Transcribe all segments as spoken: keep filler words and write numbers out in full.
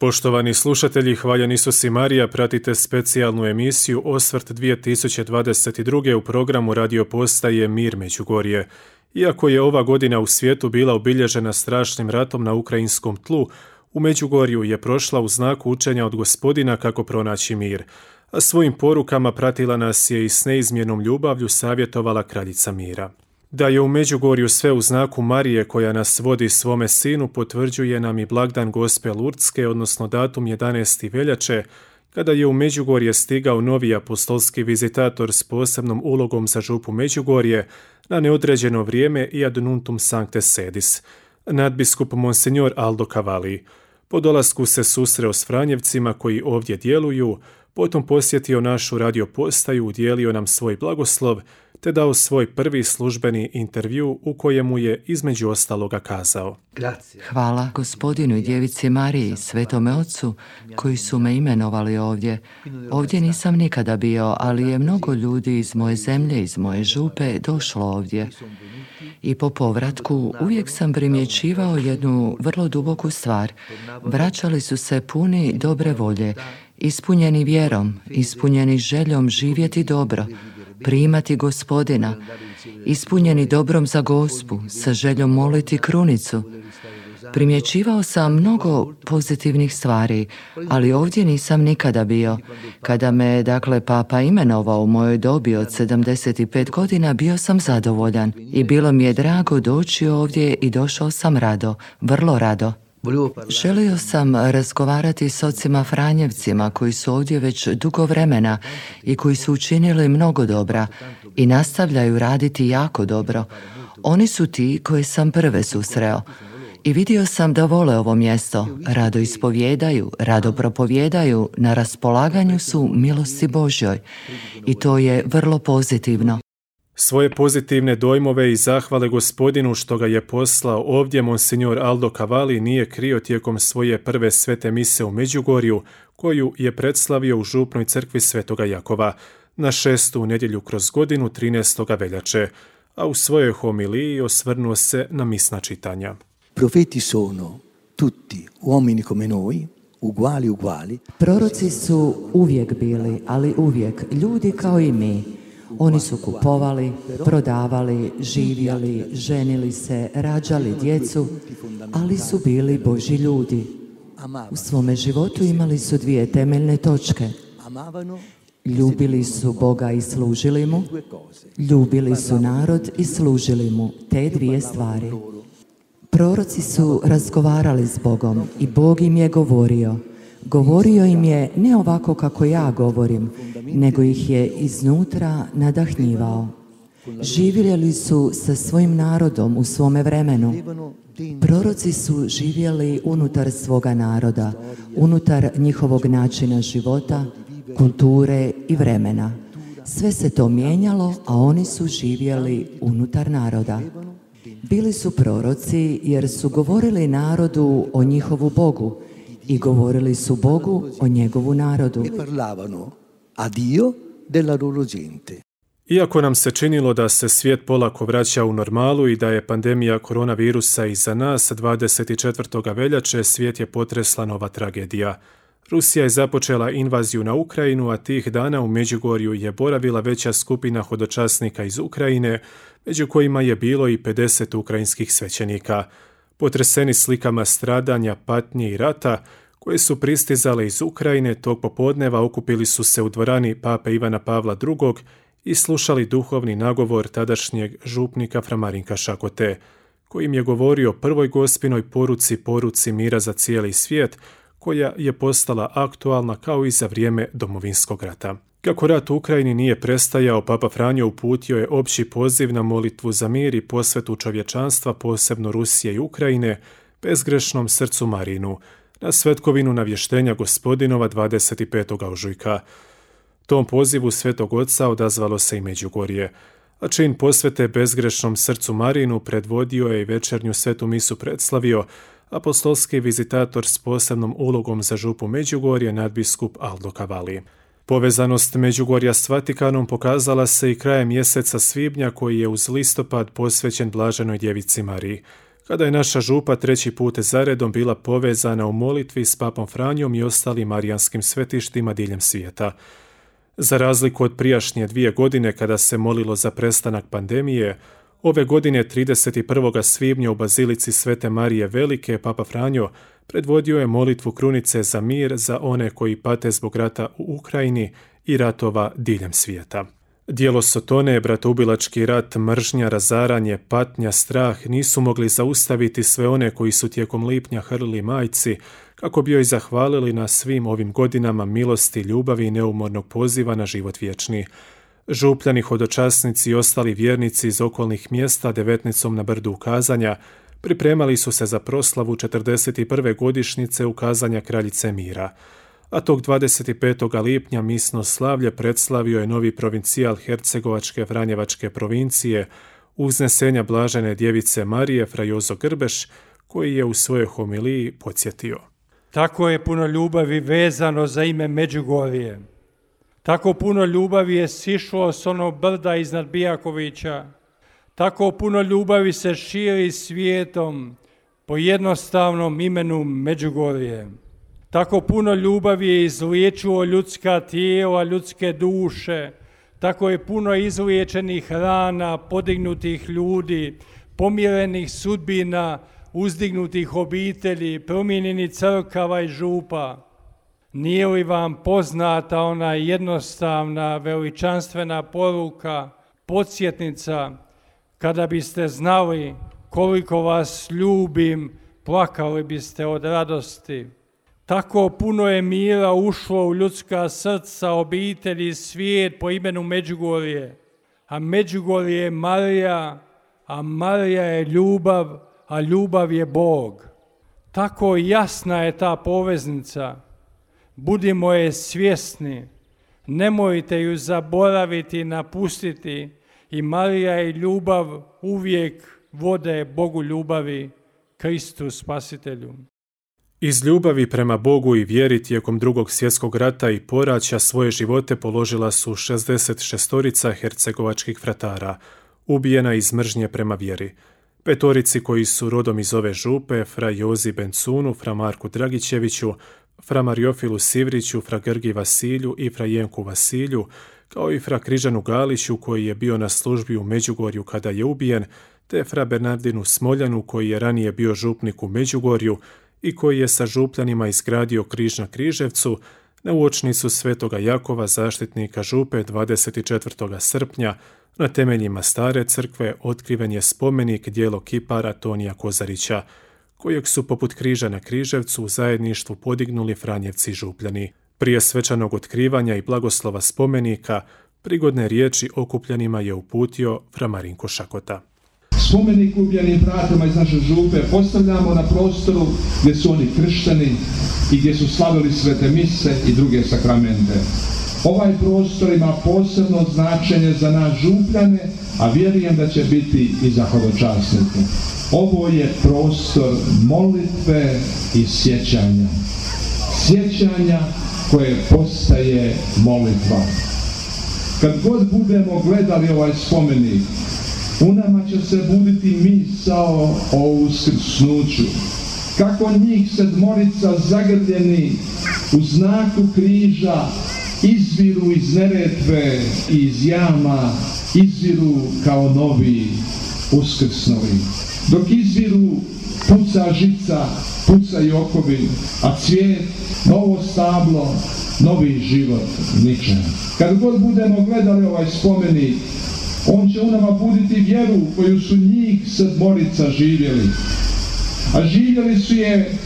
Poštovani slušatelji, hvaljen Isus i Marija, pratite specijalnu emisiju Osvrt dvije tisuće dvadeset druge. u programu radio postaje Mir Međugorje. Iako je ova godina u svijetu bila obilježena strašnim ratom na ukrajinskom tlu, u Međugorju je prošla u znaku učenja od Gospodina kako pronaći mir, a svojim porukama pratila nas je i s neizmjernom ljubavlju savjetovala kraljica mira. Da je u Međugorju sve u znaku Marije koja nas vodi svome sinu potvrđuje nam i blagdan Gospe Lurdske, odnosno datum jedanaesti veljače, kada je u Međugorje stigao novi apostolski vizitator s posebnom ulogom za župu Međugorje na neodređeno vrijeme i ad nuntum sancte sedis, nadbiskup Monsignor Aldo Cavalli. Po dolasku se susreo s Franjevcima koji ovdje djeluju, potom posjetio našu radio postaju, udjelio nam svoj blagoslov, te dao svoj prvi službeni intervju u kojemu je između ostaloga kazao: Hvala Gospodinu i Djevici Mariji, Svetome Ocu, koji su me imenovali ovdje. Ovdje nisam nikada bio, ali je mnogo ljudi iz moje zemlje, iz moje župe, došlo ovdje. I po povratku uvijek sam primjećivao jednu vrlo duboku stvar. Vraćali su se puni dobre volje, ispunjeni vjerom, ispunjeni željom živjeti dobro, primati Gospodina, ispunjeni dobrom za Gospu, sa željom moliti krunicu. Primjećivao sam mnogo pozitivnih stvari, ali ovdje nisam nikada bio. Kada me, dakle, Papa imenovao u mojoj dobi od sedamdeset pet godina, bio sam zadovoljan i bilo mi je drago doći ovdje i došao sam rado, vrlo rado. Želio sam razgovarati s ocima Franjevcima koji su ovdje već dugo vremena i koji su učinili mnogo dobra i nastavljaju raditi jako dobro. Oni su ti koje sam prve susreo. I vidio sam da vole ovo mjesto, rado ispovjedaju, rado propovjedaju, na raspolaganju su milosti Božjoj. I to je vrlo pozitivno. Svoje pozitivne dojmove i zahvale Gospodinu što ga je poslao ovdje Monsignor Aldo Cavalli nije krio tijekom svoje prve svete mise u Međugorju, koju je predslavio u župnoj crkvi Svetoga Jakova na šestu nedjelju kroz godinu trinaestog veljače, a u svojoj homiliji osvrnuo se na misna čitanja. Profeti sono tutti uomini come noi, uguali uguali. Proroci su uvijek bili, ali uvijek ljudi kao i mi. Oni su kupovali, prodavali, živjeli, ženili se, rađali djecu, ali su bili Božji ljudi. U svome životu imali su dvije temeljne točke. Ljubili su Boga i služili mu, ljubili su narod i služili mu, te dvije stvari. Proroci su razgovarali s Bogom i Bog im je govorio. Govorio im je ne ovako kako ja govorim, nego ih je iznutra nadahnjivao. Živjeli su sa svojim narodom u svome vremenu. Proroci su živjeli unutar svoga naroda, unutar njihovog načina života, kulture i vremena. Sve se to mijenjalo, a oni su živjeli unutar naroda. Bili su proroci jer su govorili narodu o njihovu Bogu i govorili su Bogu o njegovu narodu. Iako nam se činilo da se svijet polako vraća u normalu i da je pandemija koronavirusa iza nas, dvadeset četvrtog veljače svijet je potresla nova tragedija. Rusija je započela invaziju na Ukrajinu, a tih dana u Međugorju je boravila veća skupina hodočasnika iz Ukrajine, među kojima je bilo i pedeset ukrajinskih svećenika. Potreseni slikama stradanja, patnje i rata, koje su pristizale iz Ukrajine, tog popodneva okupili su se u dvorani Pape Ivana Pavla drugog. i slušali duhovni nagovor tadašnjeg župnika fra Marinka Šakote, kojim je govorio prvoj gospinoj poruci, poruci mira za cijeli svijet, koja je postala aktualna kao i za vrijeme Domovinskog rata. Kako rat u Ukrajini nije prestajao, Papa Franjo uputio je opći poziv na molitvu za mir i posvetu čovječanstva, posebno Rusije i Ukrajine, bezgrešnom srcu Marinu, na svetkovinu navještenja Gospodinova dvadeset petog ožujka. Tom pozivu Svetog Oca odazvalo se i Međugorje, a čin posvete bezgrešnom srcu Marinu predvodio je i večernju svetu misu predslavio apostolski vizitator s posebnom ulogom za župu Međugorje, nadbiskup Aldo Cavalli. Povezanost Međugorja s Vatikanom pokazala se i krajem mjeseca svibnja, koji je uz listopad posvećen Blaženoj Djevici Mariji, kada je naša župa treći put zaredom bila povezana u molitvi s papom Franjom i ostalim marijanskim svetištima diljem svijeta. Za razliku od prijašnje dvije godine kada se molilo za prestanak pandemije, ove godine trideset prvog svibnja u Bazilici Svete Marije Velike papa Franjo predvodio je molitvu krunice za mir za one koji pate zbog rata u Ukrajini i ratova diljem svijeta. Djelo sotone, bratoubilački rat, mržnja, razaranje, patnja, strah nisu mogli zaustaviti sve one koji su tijekom lipnja hrlili majci kako bi joj zahvalili na svim ovim godinama milosti, ljubavi i neumornog poziva na život vječni. Župljani, hodočasnici i ostali vjernici iz okolnih mjesta devetnicom na brdu ukazanja pripremali su se za proslavu četrdeset prve godišnjice ukazanja Kraljice mira. A tog dvadeset petog lipnja misno slavlje predslavio je novi provincijal Hercegovačke Franjevačke provincije uznesenja blažene djevice Marije fra Jozo Grbeš, koji je u svojoj homiliji podsjetio. Tako je puno ljubavi vezano za ime Međugorje. Tako puno ljubavi je sišlo s onog brda iznad Bijakovića. Tako puno ljubavi se širi svijetom po jednostavnom imenu Međugorje. Tako puno ljubavi je izliječilo ljudska tijela, ljudske duše. Tako je puno izliječenih rana, podignutih ljudi, pomirenih sudbina, uzdignutih obitelji, promijenjenih crkava i župa. Nije li vam poznata ona jednostavna, veličanstvena poruka, podsjetnica, kada biste znali koliko vas ljubim, plakali biste od radosti. Tako puno je mira ušlo u ljudska srca, obitelji i svijet po imenu Međugorje. A Međugorje je Marija, a Marija je ljubav, a ljubav je Bog. Tako jasna je ta poveznica. Budimo je svjesni, nemojte ju zaboraviti, napustiti, i Marija i ljubav uvijek vode Bogu ljubavi, Kristu Spasitelju. Iz ljubavi prema Bogu i vjeri tijekom drugog svjetskog rata i poraća svoje živote položila su šezdeset šestorica hercegovačkih fratara, ubijena iz mržnje prema vjeri. Petorici koji su rodom iz ove župe, fra Jozi Bencunu, fra Marku Dragićeviću, fra Mariofilu Sivriću, fra Grgi Vasilju i fra Jenku Vasilju, kao i fra Križanu Galiću koji je bio na službi u Međugorju kada je ubijen, te fra Bernardinu Smoljanu koji je ranije bio župnik u Međugorju i koji je sa župljanima izgradio križ na Križevcu, na uočnicu Svetoga Jakova, zaštitnika župe, dvadeset četvrtog srpnja, na temeljima stare crkve otkriven je spomenik djelo kipara Tonija Kozarića, kojeg su poput križa na Križevcu u zajedništvu podignuli Franjevci župljani. Prije svečanog otkrivanja i blagoslova spomenika, prigodne riječi okupljanima je uputio fra Marinko Šakota. Spomenik ubijenim bratima iz naše župe postavljamo na prostoru gdje su oni kršteni i gdje su slavili svete mise i druge sakramente. Ovaj prostor ima posebno značenje za nas župljane, a vjerujem da će biti i za hodočasnike. Ovo je prostor molitve i sjećanja. Sjećanja koje postaje molitva. Kad god budemo gledali ovaj spomenik, u nama će se buditi misao o uskrsnuću. Kako njih sedmorica zagrljeni u znaku križa izviru iz Neretve i iz jama, izviru kao novi uskrsnovi. Dok izviru puca žica, pucaju okovi, a cvijet, novo stablo, novi život niče. Kad god budemo gledali ovaj spomenik, on će u nama buditi vjeru koju su njih sedmorica živjeli. A živjeli su je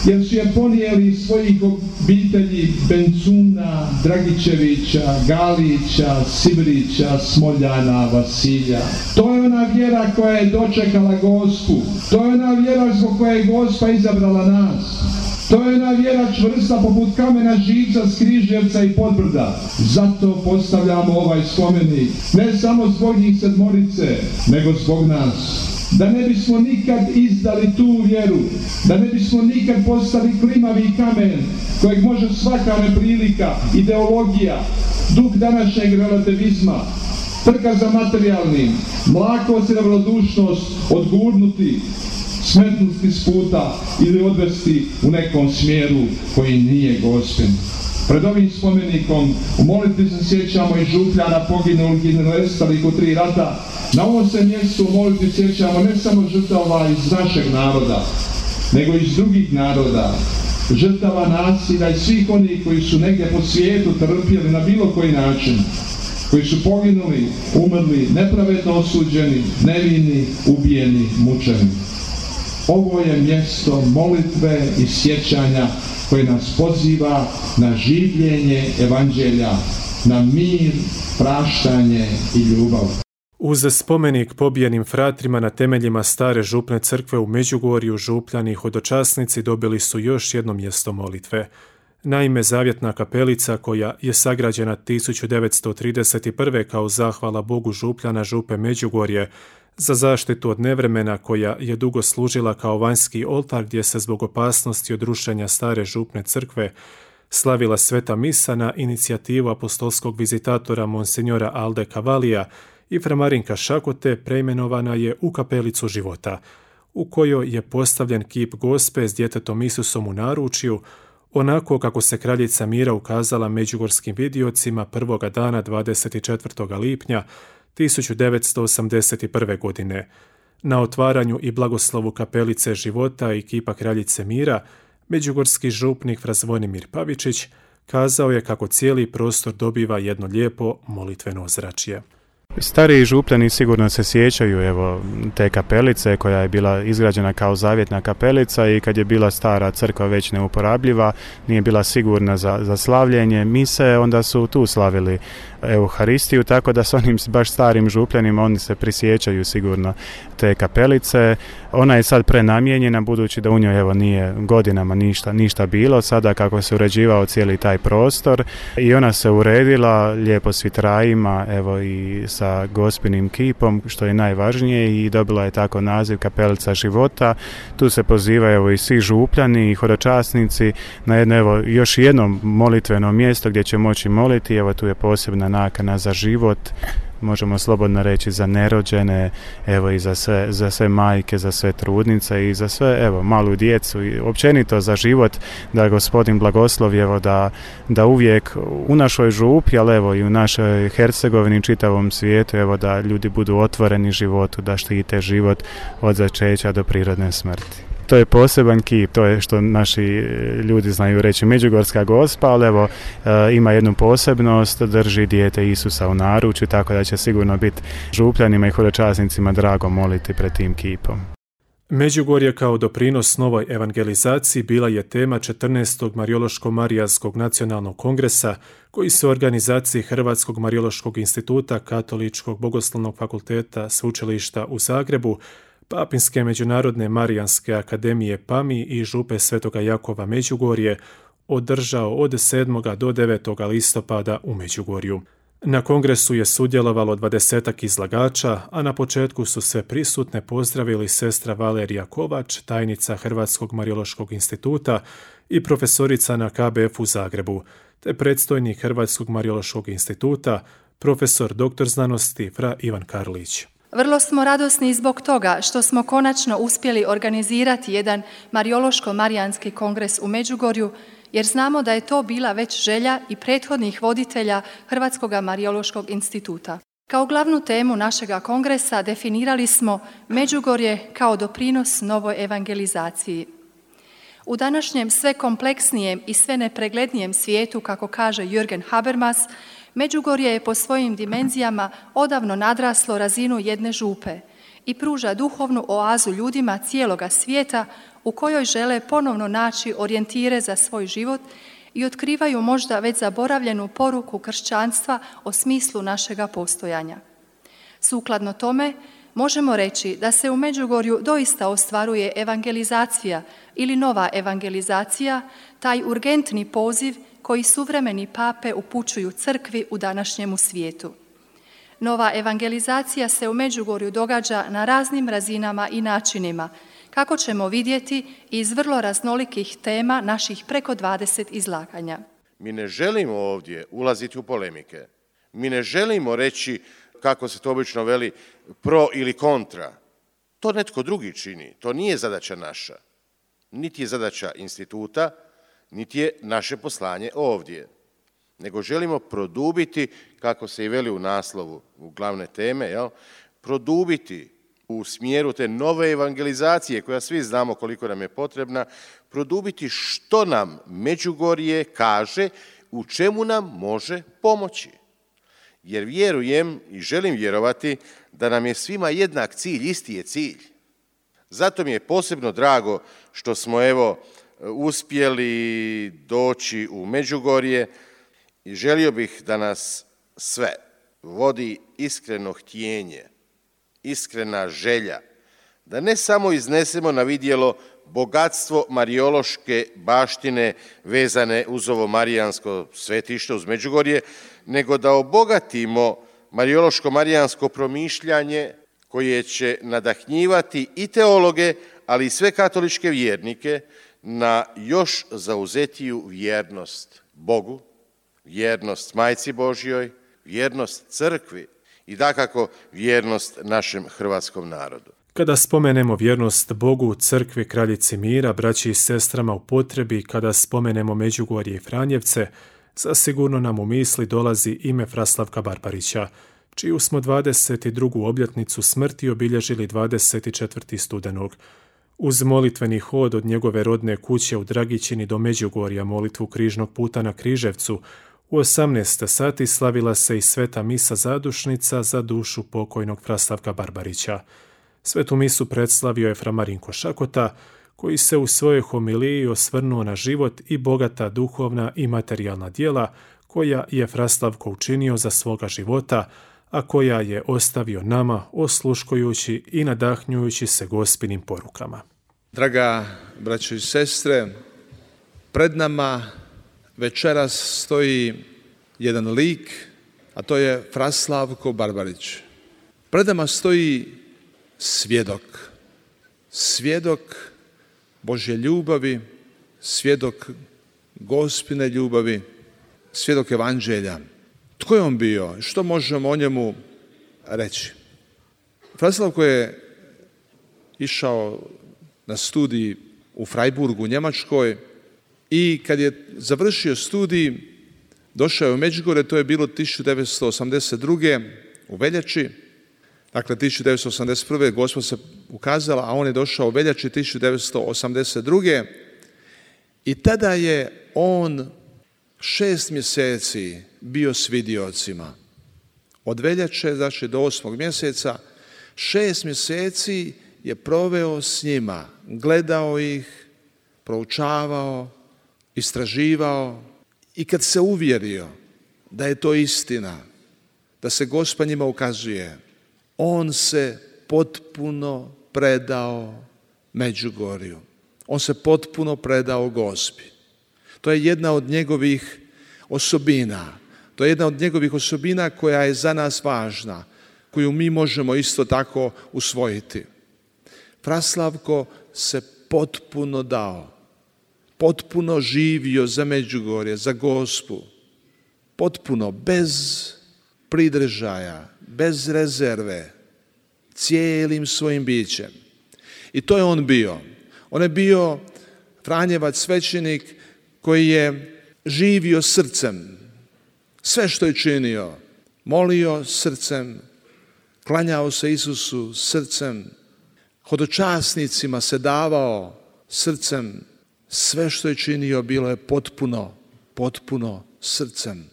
jer su je ponijeli iz svojih obitelji Bencuna, Dragićevića, Galića, Sivrića, Smoljana, Vasilja. To je ona vjera koja je dočekala Gospu. To je ona vjera zbog koje je Gospa izabrala nas. To je ona vjera čvrsta poput kamena živca s Križevca i Podbrda. Zato postavljamo ovaj spomenik. Ne samo zbog njih sedmorice, nego zbog nas. Da ne bismo nikad izdali tu vjeru, da ne bismo nikad postali klimavi kamen kojeg može svaka neprilika, ideologija, duh današnjeg relativizma, trka za materijalnim, mlakost i ravnodušnost odgurnuti. smetnuti s puta ili odvesti u nekom smjeru koji nije Gospin. Pred ovim spomenikom u molitvi se sjećamo i župljana poginulih i nestalih u tri rata. Na ovom se mjestu u molitvi sjećamo ne samo žrtava iz našeg naroda, nego iz drugih naroda, žrtava nasilja i svih onih koji su negdje po svijetu trpjeli na bilo koji način, koji su poginuli, umrli, nepravedno osuđeni, nevini, ubijeni, mučeni. Ovo je mjesto molitve i sjećanja koje nas poziva na življenje evanđelja, na mir, praštanje i ljubav. Uz spomenik pobijenim fratrima na temeljima stare župne crkve u Međugorju, župljani i hodočasnici dobili su još jedno mjesto molitve. Naime, zavjetna kapelica, koja je sagrađena tisuću devetsto trideset prve kao zahvala Bogu župljana župe Međugorje za zaštitu od nevremena, koja je dugo služila kao vanjski oltar gdje se zbog opasnosti od rušenja stare župne crkve slavila sveta misa na inicijativu apostolskog vizitatora monsinjora Alde Cavalija i fra Marinka Šakote, preimenovana je u kapelicu života, u kojoj je postavljen kip Gospe s djetetom Isusom u naručju, onako kako se kraljica mira ukazala međugorskim vidiocima prvoga dana dvadeset četvrtog lipnja tisuću devetsto osamdeset prve. godine. Na otvaranju i blagoslovu kapelice života i kipa kraljice mira, međugorski župnik fra Zvonimir Pavičić kazao je kako cijeli prostor dobiva jedno lijepo molitveno ozračje. Stariji župljani sigurno se sjećaju evo te kapelice koja je bila izgrađena kao zavjetna kapelica i kad je bila stara crkva već neuporabljiva, nije bila sigurna za, za slavljenje mise, onda su tu slavili Euharistiju, tako da s onim baš starim župljanima oni se prisjećaju sigurno te kapelice. Ona je sad prenamijenjena budući da u njoj evo nije godinama ništa, ništa bilo, sada kako se uređivao cijeli taj prostor i ona se uredila lijepo s vitrajima evo i sa Gospinim kipom, što je najvažnije, i dobila je tako naziv kapelica života. Tu se pozivaju evo i svi župljani i hodočasnici na jedno evo još jedno molitveno mjesto gdje će moći moliti. Evo tu je posebna nakana za život, možemo slobodno reći za nerođene, evo i za sve, za sve majke, za sve trudnice i za sve evo malu djecu i općenito za život, da Gospodin blagoslovi evo da, da uvijek u našoj župi, ali evo i u našoj Hercegovini, čitavom svijetu, evo da ljudi budu otvoreni životu, da štite život od začeća do prirodne smrti. To je poseban kip, to je što naši ljudi znaju reći Međugorska Gospa, ali evo e, ima jednu posebnost, drži dijete Isusa u naručju, tako da će sigurno biti župljanima i hodočasnicima drago moliti pred tim kipom. Međugorje kao doprinos novoj evangelizaciji bila je tema četrnaestog Marijološko-Marijanskog nacionalnog kongresa, koji se u organizaciji Hrvatskog Marijološkog instituta, Katoličkog bogoslovnog fakulteta Sveučilišta u Zagrebu, Papinske međunarodne Marijanske akademije PAMI i župe Svetoga Jakova Međugorje održao od sedmog do devetog listopada u Međugorju. Na kongresu je sudjelovalo dvadesetak izlagača, a na početku su sve prisutne pozdravili sestra Valerija Kovač, tajnica Hrvatskog Marijološkog instituta i profesorica na K B F u Zagrebu, te predstojnik Hrvatskog Marijološkog instituta, profesor doktor znanosti fra Ivan Karlić. Vrlo smo radosni zbog toga što smo konačno uspjeli organizirati jedan Marijološko-Marijanski kongres u Međugorju, jer znamo da je to bila već želja i prethodnih voditelja Hrvatskog Marijološkog instituta. Kao glavnu temu našega kongresa definirali smo Međugorje kao doprinos novoj evangelizaciji. U današnjem sve kompleksnijem i sve nepreglednijem svijetu, kako kaže Jürgen Habermas, Međugorje je po svojim dimenzijama odavno nadraslo razinu jedne župe i pruža duhovnu oazu ljudima cijeloga svijeta u kojoj žele ponovno naći orijentire za svoj život i otkrivaju možda već zaboravljenu poruku kršćanstva o smislu našega postojanja. Sukladno tome, možemo reći da se u Međugorju doista ostvaruje evangelizacija ili nova evangelizacija, taj urgentni poziv koji suvremeni pape upućuju crkvi u današnjemu svijetu. Nova evangelizacija se u Međugorju događa na raznim razinama i načinima, kako ćemo vidjeti iz vrlo raznolikih tema naših preko dvadeset izlaganja. Mi ne želimo ovdje ulaziti u polemike. Mi ne želimo reći, kako se to obično veli, pro ili kontra. To netko drugi čini, to nije zadaća naša. Niti je zadaća instituta, niti je naše poslanje ovdje. Nego želimo produbiti, kako se i veli u naslovu, u glavne teme, jel? Produbiti u smjeru te nove evangelizacije, koja svi znamo koliko nam je potrebna, produbiti što nam Međugorje kaže, u čemu nam može pomoći. Jer vjerujem i želim vjerovati da nam je svima jednak cilj, isti je cilj. Zato mi je posebno drago što smo evo uspjeli doći u Međugorje i želio bih da nas sve vodi iskreno htjenje, iskrena želja, da ne samo iznesemo na vidjelo bogatstvo marijološke baštine vezane uz ovo marijansko svetište, uz Međugorje, nego da obogatimo marijološko-marijansko promišljanje koje će nadahnjivati i teologe, ali i sve katoličke vjernike na još zauzetiju vjernost Bogu, vjernost Majci Božjoj, vjernost crkvi i dakako vjernost našem hrvatskom narodu. Kada spomenemo vjernost Bogu, crkvi, kraljici mira, braći i sestrama u potrebi, kada spomenemo Međugorje i Franjevce, zasigurno nam u misli dolazi ime Fraslavka Barbarića, čiju smo dvadeset drugu obljetnicu smrti obilježili dvadeset četvrtog studenog. Uz molitveni hod od njegove rodne kuće u Dragićini do Međugorja, molitvu križnog puta na Križevcu, u osamnaest sati slavila se i sveta misa zadušnica za dušu pokojnog Fraslavka Barbarića. Svetu misu predslavio je fra Marinko Šakota, koji se u svojoj homiliji osvrnuo na život i bogata duhovna i materijalna djela koja je Fraslavko učinio za svoga života, a koja je ostavio nama osluškujući i nadahnjujući se gospinim porukama. Draga braćo i sestre, pred nama večeras stoji jedan lik, a to je Fraslavko Barbarić. Pred nama stoji svjedok, svjedok Božje ljubavi, svjedok Gospine ljubavi, svjedok Evanđelja. Tko je on bio? Što možemo o njemu reći? Fraslavko je išao na studij u Freiburgu u Njemačkoj i kad je završio studij, došao je u Međugorje, to je bilo tisuću devetsto osamdeset druge u veljači. Dakle, tisuću devetsto osamdeset prve Gospod se ukazala, a on je došao u veljači tisuću devetsto osamdeset druge i tada je on šest mjeseci bio s vidiocima. Od veljače, znači do osmog mjeseca, šest mjeseci je proveo s njima, gledao ih, proučavao, istraživao i kad se uvjerio da je to istina, da se Gospod njima ukazuje, on se potpuno predao Međugorju. On se potpuno predao Gospi. To je jedna od njegovih osobina. To je jedna od njegovih osobina koja je za nas važna, koju mi možemo isto tako usvojiti. Fraslavko se potpuno dao, potpuno živio za Međugorje, za Gospu, potpuno, bez pridržaja, bez rezerve, cijelim svojim bićem. I to je on bio. On je bio Franjevac svećenik koji je živio srcem. Sve što je činio, molio srcem, klanjao se Isusu srcem, hodočasnicima se davao srcem. Sve što je činio bilo je potpuno, potpuno srcem.